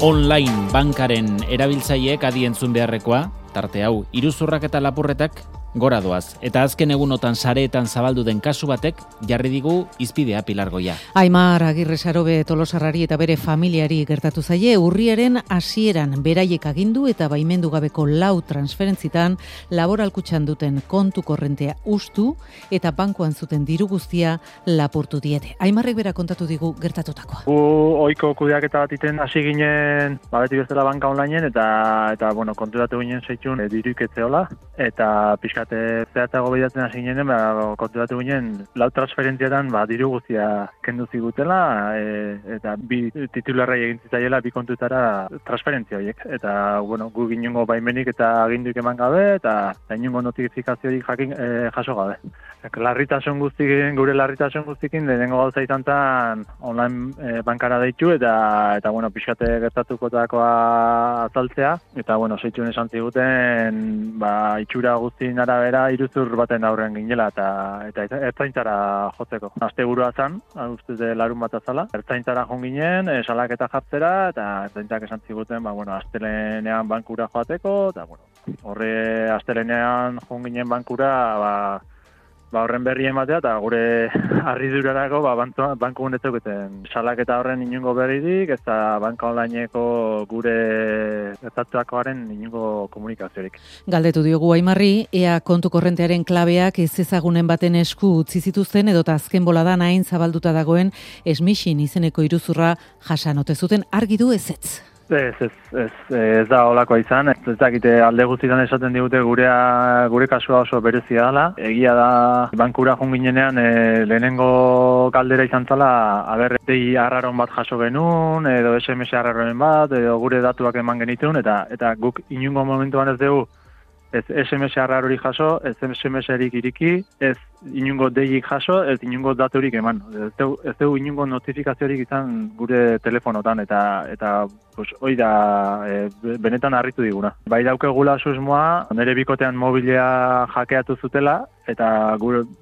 Online bankaren erabiltzaileek adi entzun beharrekoa, tarte hau, iruzurrak eta lapurretak gora doaz. Eta azken egunotan sareetan zabaldu den kasu batek jarri digu izpidea Pilar Goia. Aimar Agirre Sarobe Tolosarrari eta bere familiari gertatu zaie urriaren hasieran beraiek agindu eta baimendu gabeko 4 transferentzitan laboralkutxan duten kontu korrentea ustu eta bankuan zuten diru guztia lapurtu diete. Aimarrek bera kontatu digu gertatutakoa. Ohiko kudeaketa bat iten hasi ginen, beti bezala banka onlineen eta konturatu ginen zeitzun diruik etzeola eta zehatzago behiatzen hasi ginen, konturatu ginen 4 transferentziatan diru guztia kendu zigutela eta bi titularrai egin zitzaiela bi kontutara transferentzia horiek. Eta gu ginengo baimenik eta aginduik eman gabe eta inongo notifikaziorik jaso gabe. Gure larritasun guztikin lehenengo gauza izan zen online bankara deitu eta pixkate gertatukotakoa azaltzea eta zeitzun esan ziguten itxura guztien arabera iruzur baten aurrean ginela eta ertzaintzara jotzeko. Asteburua zen, ustez larun bat azala. Ertzaintzara joan ginen, salaketa jartzera eta ertzaintzak esan ziguten, astelenean bankura joateko eta horre astelenean joan ginen bankura horren berri ematea eta gure harridurarako banku honetzeketen salaketa horren inongo berririk eta banka onlineko gure gertatutakoaren inongo komunikaziorik. Galdetu diogu Aimarri, ea kontu korrentearen klabeak ez ezagunen baten esku utzi zituzten edota azken boladan hain zabalduta dagoen Smishing izeneko iruzurra jasanote zuten, argi du ezetz. Ez da holakoa izan, ez dakite alde guztietan esaten digute gure kasua oso berezia dela. Egia da bankura joan ginenean lehenengo galdera izan zala dei arraron bat jaso genuen, edo SMS arraronen bat, edo gure datuak eman genitun, eta guk inungo momentuan ez dugu ez SMS arrarori jaso, ez SMS-erik iriki, ez inungo deik jaso, ez inungo daturik eman. Ez dugu inungo notifikaziorik izan gure telefonotan, eta hoi da benetan harritu diguna. Bai daukegula susmoa, nire bikotean mobilea hackeatu zutela, eta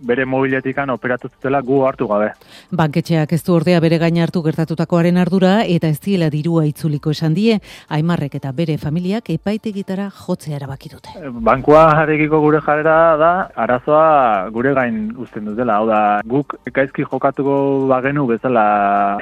bere mobiletikan operatu zutela gu hartu gabe. Banketxeak ez du ordea bere gain hartu gertatutakoaren ardura, eta ez diela dirua itzuliko esan die, Aimarrek eta bere familiak epaitegitara jotzea erabaki dute. Bankua jarrekiko gure jarrera da, arazoa gure gain uzten dutela. Hau da, guk gaizki jokatuko bagenu bezala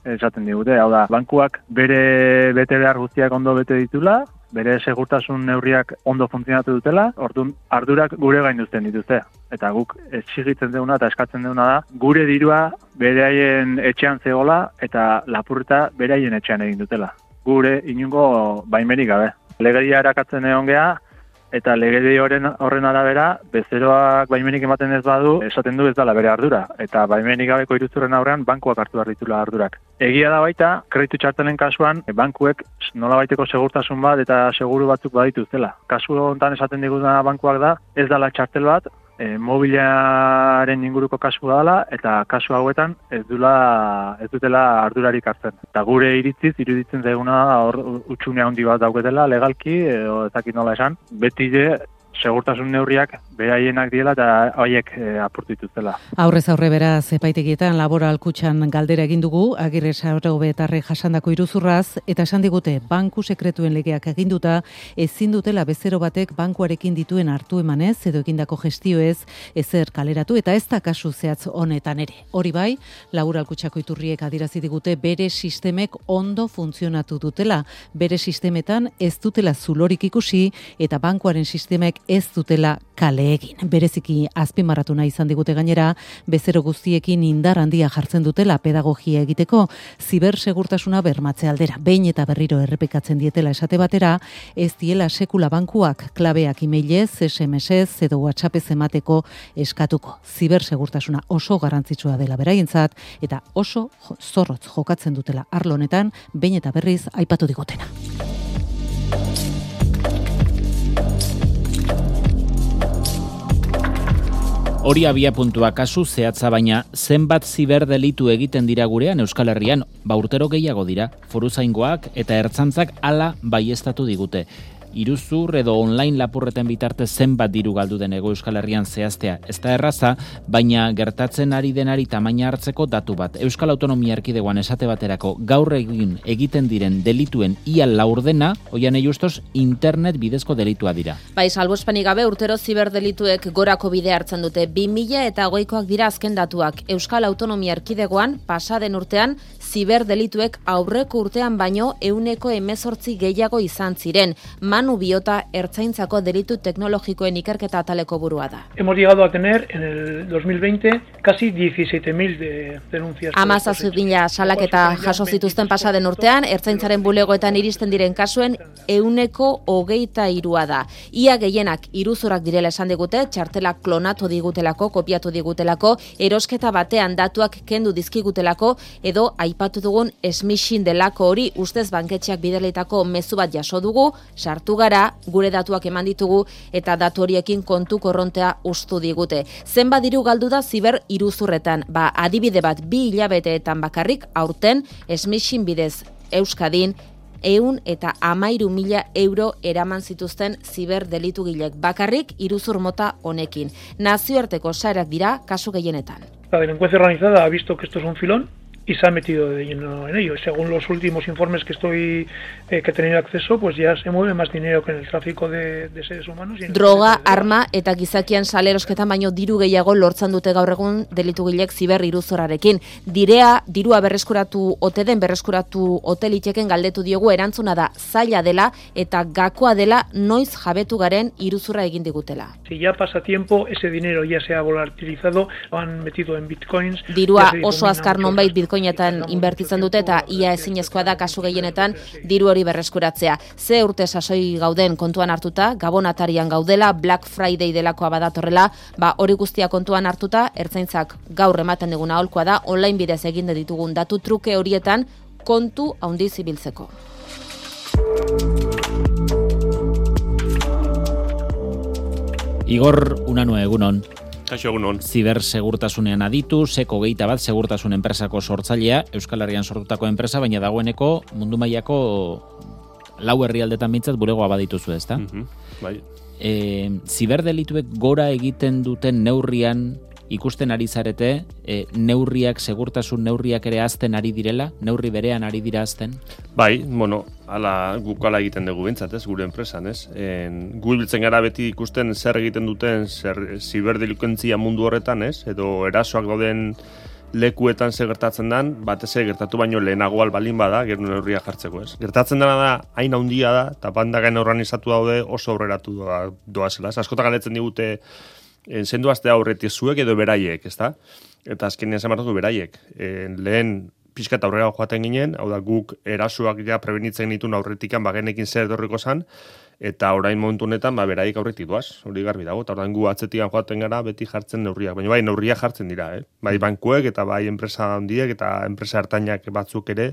esaten digute. Hau da, bankuak bere bete behar guztiak ondo bete ditula, bere segurtasun neurriak ondo funtzionatu dutela, orduan ardurak gure gain uzten dituzte. Eta guk exigitzen duguna eta eskatzen duguna da, gure dirua beraien etxean zegoela eta lapurreta beraien etxean egin dutela. Gure inungo baimenik gabe. Legedia erakatzen egon geha, eta legedi horren arabera, bezeroak baimenik ematen ez badu, esaten du ez dela bere ardura. Eta baimenik gabeko iruzurren aurrean, bankuak hartu behar ditula ardurak. Egia da baita, kreditu txartelen kasuan, bankuek nolabaiteko segurtasun bat eta seguru batzuk badituztela. Kasu honetan esaten diguna bankuak da, ez dela txartel bat, mobiliaren inguruko kasua dela, eta kasu hauetan ez dutela ardurarik hartzen. Eta gure iritziz, iruditzen zaiguna hor utxune handi bat dauketela, legalki, edo ezakit nola esan, beti segurtasun neurriak beraienak diela eta haiek apurtu dituztela. Aurrez aurre beraz epaitegietan laboralkutxan galdera egin dugu, Agirre Sarobe jasandako iruzurraz, eta esan digute banku sekretuen legeak aginduta ezin dutela bezero batek bankuarekin dituen hartu emanez edo egindako gestioez ezer kaleratu eta ez da kasu zehatz honetan ere. Hori bai, laboralkutxako iturriek adierazi digute bere sistemek ondo funtzionatu dutela, bere sistemetan ez dutela zulorik ikusi eta bankuaren sistemek ez dutela kale egin. Bereziki azpimarratu nahi izan digute gainera, bezero guztiekin indar handia jartzen dutela pedagogia egiteko, zibersegurtasuna bermatze aldera. Behin eta berriro errepikatzen dietela esate batera, ez diela sekula bankuak klabeak emailez, SMS-ez edo WhatsAppez emateko eskatuko. Zibersegurtasuna oso garrantzitsua dela beraientzat eta oso zorrotz jokatzen dutela arlo honetan, behin eta berriz aipatu digutena. Hori abiapuntua kasu zehatza baina zenbat ziberdelitu egiten dira gurean Euskal Herrian, urtero gehiago dira, foruzaingoak eta ertzaintzak hala baieztatu digute. iruzur edo online lapurreten bitarte zenbat diru galdu den Hego Euskal Herrian zehaztea. Ez da erraza, baina gertatzen ari denari tamaina hartzeko datu bat. Euskal Autonomia Erkidegoan esate baterako gaur egiten diren delituen ia laurdena, Oianei Justos, internet bidezko delitua dira. Bai, salbuespenik gabe urtero ziberdelituek gorako bidea hartzen dute. 2020koak dira azken datuak. Euskal Autonomia Erkidegoan pasaden urtean ziberdelituek aurreko urtean baino 118 gehiago izan ziren. Manu Biota Ertzaintzako delitu teknologikoen ikerketa ataleko burua da. Hemos llegado a tener en el 2020 casi 17.000 denuncias. 17.000 salaketa jaso zituzten pasaden urtean, Ertzaintzaren bulegoetan iristen diren kasuen 123 da. Ia gehienak iruzurak direla esan digute, txartelak klonatu digutelako, kopiatu digutelako, erosketa batean datuak kendu dizkigutelako, edo aipatu dugun smishing delako hori ustez banketxeak bidalitako mezu bat jaso dugu, sartu gara, gure datuak eman ditugu, eta datu horiekin kontu korrontea ustu digute. Zenbat diru galdu da ziber iruzurretan, adibide bat 2 hilabeteetan bakarrik aurten smishing bidez Euskadin 113.000 euro eraman zituzten ziberdelitu gilek bakarrik iruzur mota honekin. Nazioarteko sareak dira kasu gehienetan. La delincuencia organizada ha visto que esto es un filón y se ha metido de lleno en ello. Según los últimos informes que he tenido acceso, pues ya se mueve más dinero que en el tráfico de seres humanos. Droga, arma eta gizakian salerosketan baino diru gehiago lortzen dute gaur egun delitugilek ziber iruzurrarekin. Dirua berreskuratu ote liteken galdetu diogu, erantzuna da zaila dela eta gakoa dela noiz jabetu garen iruzurra egin digutela. Si ya pasa tiempo, ese dinero ya se ha volatilizado, lo han metido en bitcoins. Dirua oso azkar nonbait bitcoinetan inbertitzen dute eta ia ezinezkoa da kasu gehienetan diru hori berreskuratzea. Ze urte sasoi gauden kontuan hartuta, Gabon atarian gaudela, Black Friday delakoa badatorrela, hori guztia kontuan hartuta, Ertzaintzak gaur ematen diguna aholkoa da, online bidez egin ditugun datu truke horietan kontu handiz ibiltzeko. Igor Unanue, egunon. Kaixo, egunon. Zibersegurtasunean aditu, Seko 21 segurtasun enpresako sortzailea, Euskal Herrian sortutako enpresa, baina dagoeneko mundu mailako 4 herrialdetan bintzat bulegoa badituzu, ezta? Bai. Ziberdelituek gora egiten duten neurrian ikusten ari zarete, segurtasun neurriak ere azten ari direla, neurri berean ari dira azten? Bai, guk ala egiten dugu bintzat, gure enpresan, gu biltzen gara beti ikusten zer egiten duten ziberdelinkuentzia mundu horretan, edo erasoak dauden lekuetan ze gertatzen den, batez gertatu baino lehenago balin bada, gero neurria jartzeko, Gertatzen dena da, hain handia da, eta bandagain organizatu daude oso aurreratu doazela. Askotan galdetzen digute, zendu aztea aurretik zuek edo beraiek, ezta? Eta azkenean zamartu beraiek. Lehen pixkat aurrera joaten ginen, hau da guk erasoak ja prebenitzen ditun aurretikan bagenekin zer dorriko zan, eta orain momentu honetan beraiek aurretik doaz, hori garbi dago, eta orain gu atzetikan joaten gara beti jartzen neurriak, baina bai neurriak jartzen dira, bai bankuek eta bai enpresa handiek eta enpresa hartainak batzuk ere,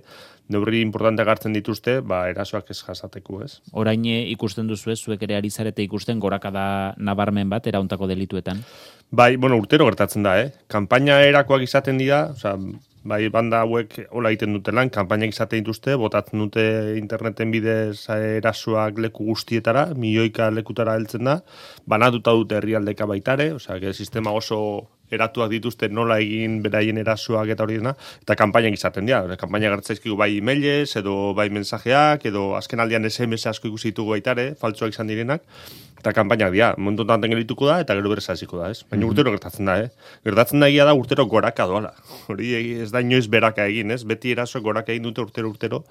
neurri importante hartzen dituzte, erasoak ez jasateko, Orain ikusten duzu zuek ere ari zarete ikusten gorakada nabarmen bat erauntako delituetan? Bai, urtero gertatzen da, Kanpaina erakoak izaten dira, bai banda hauek hola egiten dute lan, kanpainak izaten dituzte, botatzen dute interneten bidez erasoak leku guztietara, milioika lekutara heltzen da, banatuta dute herrialdeka baitare, sistema oso eratuak dituzte nola egin beraien erasoak eta hori dena, eta kanpainak izaten dira. Kanpainak gertzaizkigu bai emailez, edo bai mensajeak, edo azken aldian SMS asko ikusi ditugu baitare, faltsuak izan direnak, eta kanpainak dira, momentu enten gelituko da, eta gero berez hasiko da, Baina urtero gertatzen da, Gertatzen da egia da urtero goraka doala. Hori ez da inoiz beraka egin, Beti eraso goraka egin dute urtero,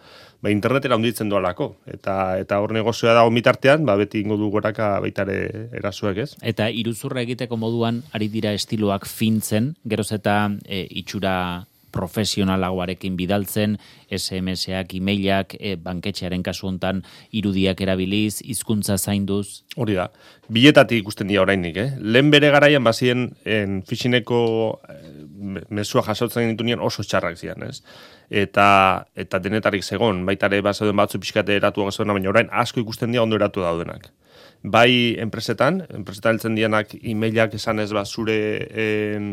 internetera hunditzen doalako. Eta hor negozioa da omitartean, beti ingo du goraka baitare erasoek, Eta iruzurra egiteko moduan ari dira estiloak fintzen, geroz eta itxura profesionalagoarekin bidaltzen, SMS-ak, e-mailak, banketxearen kasu hontan irudiak erabiliz, hizkuntza zainduz. Hori da. Biletatik ikusten dira orainik, Lehen bere garaian bazien phishingeko mezua jasotzen ditunean oso txarrak zian, Eta denetarik zegon, baitare bazauden batzu pixkate eratuak zegoen, baina orain asko ikusten dira ondo eratu daudenak. Bai enpresetan heltzen dianak e-mailak esan ez zure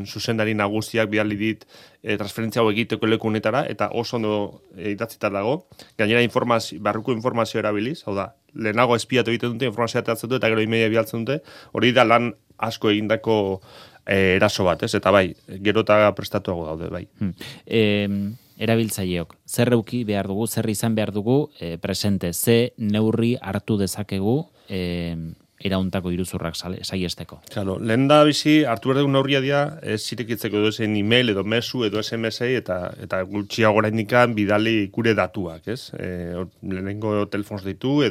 zuzendari nagusiak bidali dit transferentzia hau egiteko leku honetara, eta oso ondo idatzita dago. Gainera barruko informazio erabiliz, hau da, lehenago espiatu egiten dute, informazioa ateratzen dute, eta gero emaila bialtzen dute, hori da lan asko egindako eraso bat, ez? Eta bai, gero eta prestatuago daude, bai. Erabiltzaileok, zer euki behar dugu, zer izan behar dugu, presente, ze neurri hartu dezakegu erauntako iruzurrak saiesteko. Claro, lehen da bizi, hartu behar dugu neurria dira, ez zirekitzeko edo esen email, edo mesu, edo SMS-ei, eta gutxiago oraindikan bidali gure datuak, ez? Lehenengo telefonoz ditu,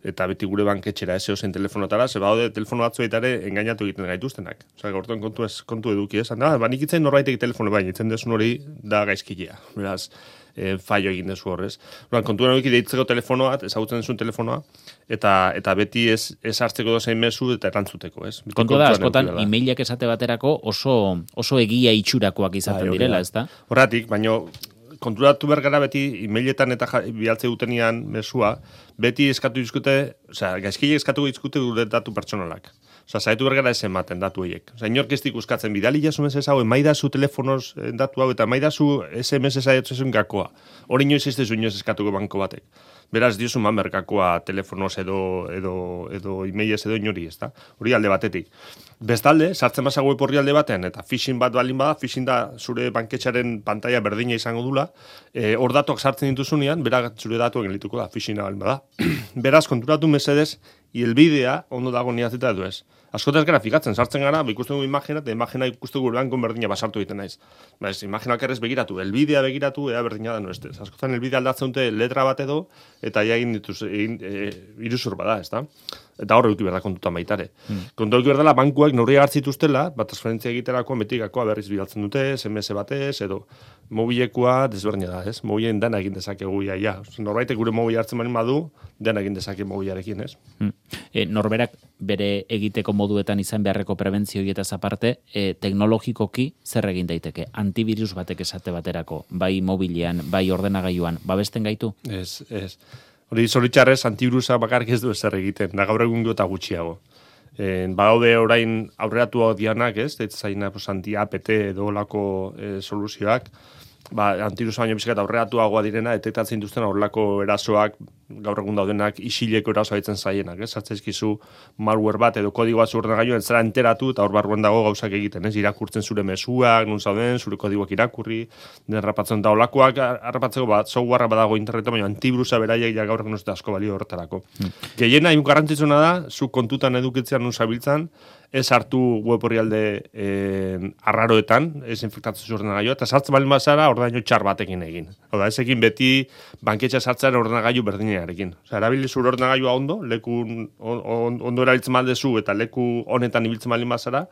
eta beti gure banketxera zein telefonotara, ze badaude telefono batzu ere engainatu egiten gaituztenak. Osea, gaurton kontu eduki, ez? Banik itzen norbaitek telefono baina, itzen desun hori da gaizkilea. Beraz, fallo egin dezu horrez. Kontuan eduki deitzeko telefonoa, ezagutzen dezun telefonoa, eta beti ez hartzeko dozein mezu eta erantzuteko, ez? Kontu da, askotan, emailak esate baterako oso egia itxurakoak izaten direla, ez da? Horratik, baina konturatu bergara beti emailetan eta bialtze dutenian mesua, beti eskatu dizkute, gaizkile eskatu dizkute gure datu pertsonalak. Zaitu bergara ez ematen datu horiek. Inork ez ikuskatzen bidali jasu mesez hau, emaidazu telefonoz datu hau, eta emaidazu SMS aietzen gakoa. Hori inoiz ez dezu inoiz eskatuko banko batek. Beraz, diozu merkakoa telefonoz edo emailez edo inori, ez da? Hori alde batetik. Bestalde, sartzen basa web horri alde batean, eta phishing bat balin bada, phishing da zure banketxaren pantalla berdina izango dula, hor datuak sartzen dituzunean, beraz zure datuak gelituko da, phishing balin bada. Beraz, konturatu mesedez, hilbidea ondo dago niatzita edo ez. Askotaz gara fikatzen, sartzen gara, ikusten dugu imagina, eta imagina ikusten dugu bankon berdina basartu egiten naiz. Imaginak errez begiratu, elbidea begiratu, ea berdina da nuestez. Askotan elbidea aldatzen dute letra bat edo, eta ja egin iruzur bada, ez da? Eta hor euki berda kontutan baitare. Kontu euki berdala, bankuak neurria hartzituztela, transferentzia egiterako betikakoa berriz bidaltzen dute, SMS batez, edo mobilekoa desberdina da, ez? Mobilen dena egin dezakegu ja. Norbaitek gure mobile hartzen bali badu, dena egin dezake mobilarekin, ez? Norberak bere egiteko moduetan izan beharreko prebentzioietaz aparte, teknologikoki zer egin daiteke? Antivirus batek esate baterako, bai mobilean, bai ordenagailuan, babesten gaitu? Ez. Hori zoritxarrez, antivirusa bakarrik ez du ezer egiten, da gaur egun eta gutxiago. Badaude orain aurreratu dianak, ez? Zaina anti-APT edo olako soluzioak, antivirusa baino bizkat aurreratuagoa direna, detektatzen dituzten horrelako erasoak, gaur egun daudenak isileko erasoa ditzen zaienak, ez? Zartzezkizu malware bat edo kodigoa ordenagailuan zera enteratu, eta hor barruan dago gauzak egiten, ez? Irakurtzen zure mezuak, nun zauden, zure kodigoak irakurri, den rapatzen da olakoak, harrapatzeko softwarea badago internetan, baina antivirusa beraiek ja gaur egun ez da asko balio horretarako. Gehiena, garrantzitsuna da, zu kontutan edukitzean nun zabiltzan, ez hartu web orrialde arraroetan, ez infektatzen zure ordenagailua, eta sartzen balin bazara ordenailo txar batekin egin. Oda, ez egin beti banketxa sartzen ordenagailu berdinarekin. Osa, erabili zure ordenagailua ondo, leku ondo erabiltzen maldezu eta leku honetan ibiltzen balin bazara,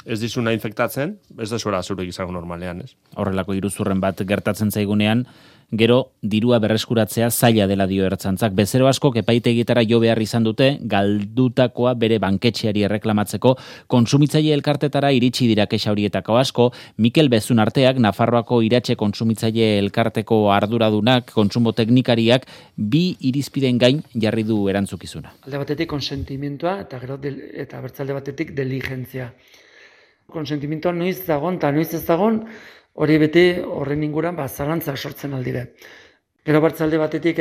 ez dizuna infektatzen, ez da zuera zure izango normalean, ez? Horrelako iruzurren bat gertatzen zaigunean, gero dirua berreskuratzea zaila dela dio ertzantzak. Bezero asko epaitegitara jo behar izan dute, galdutakoa bere banketxeari erreklamatzeko, kontsumitzaile elkartetara iritsi dira kexa horietako asko. Mikel Bezun arteak, Nafarroako iratxe kontsumitzaile elkarteko arduradunak, kontsumo teknikariak, bi irizpiden gain jarri du erantzukizuna. Alde batetik konsentimentua eta gero eta bertzalde batetik diligentzia. Konsentimentua noiz dagon eta noiz ez dagon, hori beti horren inguran zalantzak sortzen aldire. Gero bertzalde batetik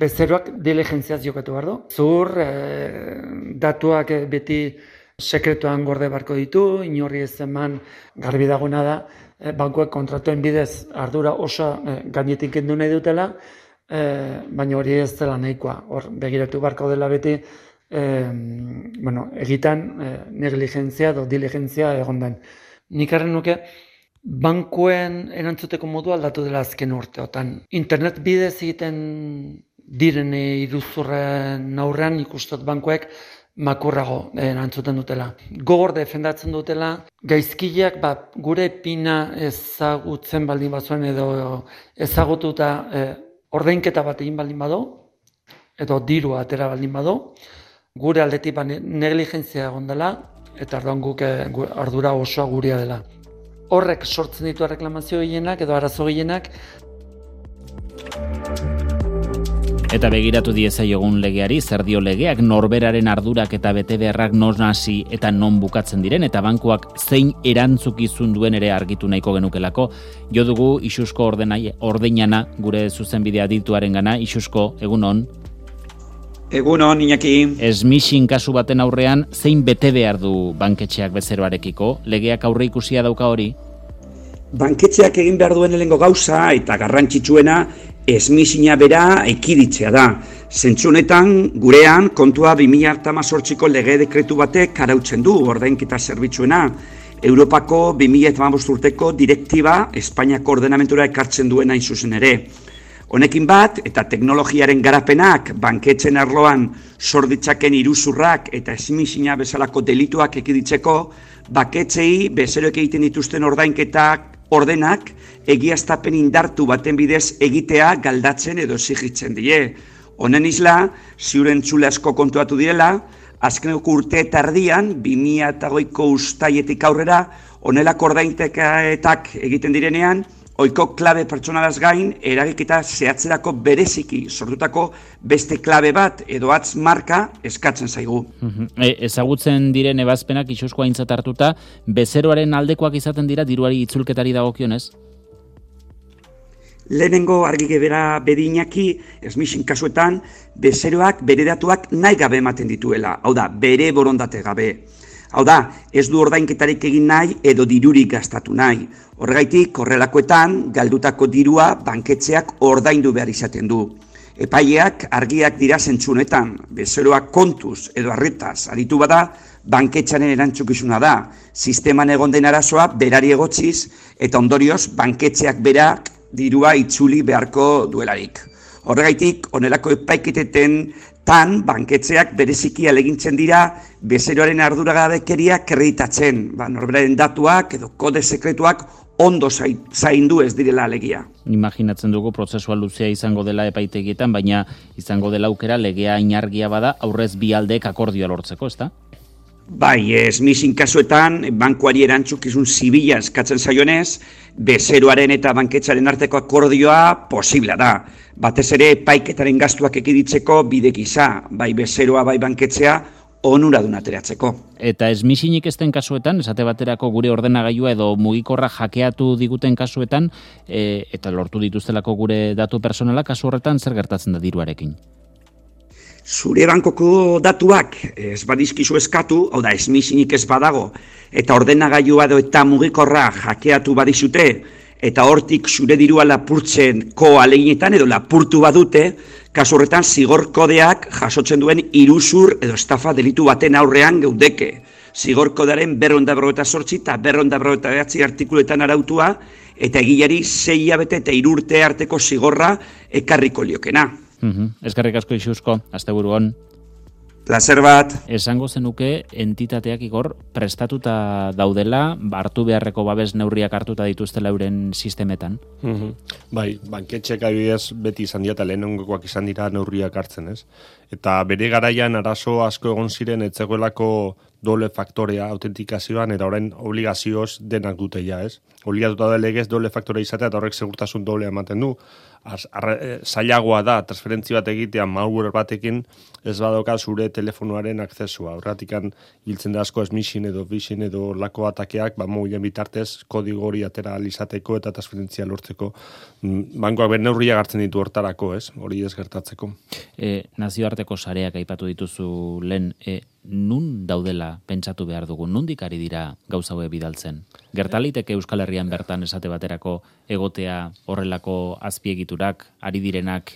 bezeroak diligentziaz jokatu behar du. Zur, datuak beti sekretuan gorde barko ditu, inorri ez eman garbi dagoena da, bankuek kontratuen bidez ardura oso gainetik kendu nahi dutela, baina hori ez dela nahikoa. Hor begiratu barko dela beti, egitan negligentzia edo diligentzia egon den. Nik arren nuke, bankuen erantzuteko modua aldatu dela azken urteotan. Internet bidez egiten diren iruzurren aurrean ikustot bankuek makurrago erantzuten dutela. Gogor defendatzen dutela, gaizkileak gure pina ezagutzen baldin bazuen edo ezagututa ordainketa bat egin baldin badu, edo dirua atera baldin badu, gure aldetik negligentzia egon dela, eta orduan guk ardura osoa gurea dela. Horrek sortzen ditu reklamazio gehienak edo arazo gehienak. Eta begiratu diezaiogun legeari, zer dio legeak, norberaren ardurak eta betebeharrak non hasi eta non bukatzen diren, eta bankuak zein erantzukizun duen ere argitu nahiko genukelako. Jo dugu Isusko ordeinana gure zuzenbidea dituaren gana. Isusko, egun on. Egunon, Iñaki. Smishing kasu baten aurrean, zein bete behar du banketxeak bezeroarekiko? Legeak aurre ikusia dauka hori? Banketxeak egin behar duen lehengo gauza eta garrantzitsuena smishinga bera ekiditzea da. Zentzu honetan, gurean, kontua 2018ko lege dekretu batek arautzen du ordainketa zerbitzuena. Europako 2015 urteko direktiba Espainiako ordenamentura ekartzen duena hain zuzen ere. Honekin bat, eta teknologiaren garapenak banketzen arloan sor ditzaken iruzurrak eta smishinga bezalako delituak ekiditzeko, banketxei bezeroek egiten dituzten ordenak egiaztapen indartu baten bidez egitea galdatzen edo exigitzen die. Honen isla, ziur entzule asko kontuatu direla, azkeneko urte eta erdian, 2008ko uztaietik aurrera, honelako ordainketak egiten direnean, ohiko klabe pertsonalaz gain, eragiketa zehatzerako bereziki sortutako beste klabe bat edo hatz marka eskatzen zaigu. Ezagutzen diren ebazpenak itxusko aintzat hartuta, bezeroaren aldekoak izaten dira diruari itzulketari dagokionez? Lehenengo argi gebera Iñaki, smishing kasuetan, bezeroak bere datuak nahi gabe ematen dituela, hau da, bere borondate gabe. Hau da, ez du ordainketarik egin nahi edo dirurik gastatu nahi. Horregaitik, horrelakoetan, galdutako dirua banketxeak ordaindu behar izaten du. Epaileak argiak dira zentzunetan, bezeroak kontuz edo arretaz aritu bada, banketxaren erantzukizuna da. Sisteman egon den arazoa berari egotziz eta ondorioz banketxeak berak dirua itzuli beharko duelarik. Horregaitik, honelako epaiketeten banketxeak bereziki alegintzen dira bezeroaren arduragabekeria kreditatzen, norberaren datuak edo kode sekretuak ondo zaindu ez direla alegia. Imaginatzen dugu prozesua luzea izango dela epaitegietan, baina izango dela aukera legea inargia bada aurrez bi aldeek akordioa lortzeko, ezta? Bai, smishing kasuetan, bankuari erantzukizun zibila eskatzen zaionez, bezeroaren eta banketxaren arteko akordioa posibla da. Batez ere, epaiketaren gastuak ekiditzeko bide gisa, bai bezeroa, bai banketxea, onuradun ateratzeko. Eta smishinik ezten kasuetan, esate baterako gure ordenagailua edo mugikorra hackeatu diguten kasuetan, eta lortu dituztelako gure datu personala, kasu horretan zer gertatzen da diruarekin? Zure bankoko datuak ez badizkizu eskatu, hau da, smishinik ez badago, eta ordenagailua edo eta mugikorra hackeatu badizute, eta hortik zure dirua lapurtzeko ahaleginetan edo lapurtu badute, kasu horretan zigor kodeak jasotzen duen iruzur edo estafa delitu baten aurrean geudeke. Zigor kodearen 248 eta 249 artikuluetan arautua, eta egileari 6 hilabete eta 3 urte arteko zigorra ekarriko liokena. Eskerrik asko Ixusko, asteburu on. Plazer bat. Esango zenuke entitateak Igor prestatuta daudela, hartu beharreko babes neurriak hartuta dituztela euren sistemetan. Bai, banketxeak adibidez beti izan dira eta lehenengoak izan dira neurriak hartzen, ez? Eta bere garaian arazo asko egon ziren etzegoelako doble faktorea autentikazioan eta orain obligazioz denak dute ja, ez? Obligatuta da legez doble faktorea izatea eta horrek segurtasun doble ematen du. Zailagoa da transferentzia bat egitea malware batekin ez badoka zure telefonoaren aksesua. Horratikan hiltzen da asko smishing edo phishing edo lako atakeak, mobilen bitartez kodigo hori atera alizateko eta transferentzia lortzeko. Bankoak ben neurriak hartzen ditu hortarako, ez? Hori ez gertatzeko. Nazioarteko sareak aipatu dituzu lehen, nun daudela pentsatu behar dugu, nondik ari dira gauza hauek bidaltzen? Gertaliteke Euskal Herrian bertan esate baterako egotea horrelako azpiegiturak, ari direnak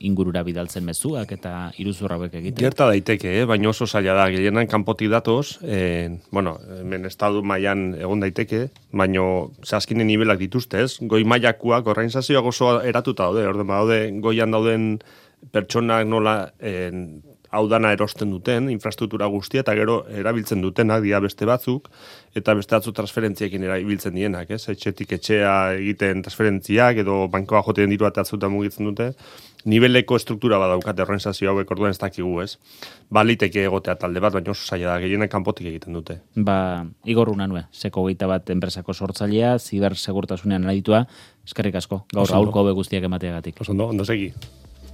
ingurura bidaltzen mezuak eta iruzur hauek egiten? Gerta daiteke, baina oso zaila da, gehienan kanpotik datoz, hemen estadu mailan egon daiteke, baina zaskinen nivelak dituzte, ez? Goi mailakoak organizazioak oso eratuta daude, daude goian dauden pertsonak nola hau dana erosten duten, infrastruktura guztia, eta gero erabiltzen dutenak, dira beste batzuk, eta beste batzu transferentziekin erabiltzen dienak, ez? Etxetik etxea egiten transferentziak, edo bankoa joten diru eta atzuta mugitzen dute, niveleko struktura badaukate organizazio hauek orduan ez dakigu, ez? Baliteke egotea talde bat, baina oso zaila da, gehienak kanpotik egiten dute. Igor Unanue, Seko 21 enpresako sortzailea, zibersegurtasunean aditua, eskerrik asko, gaur aurko hobe guztiak emateagatik. Ondo segi.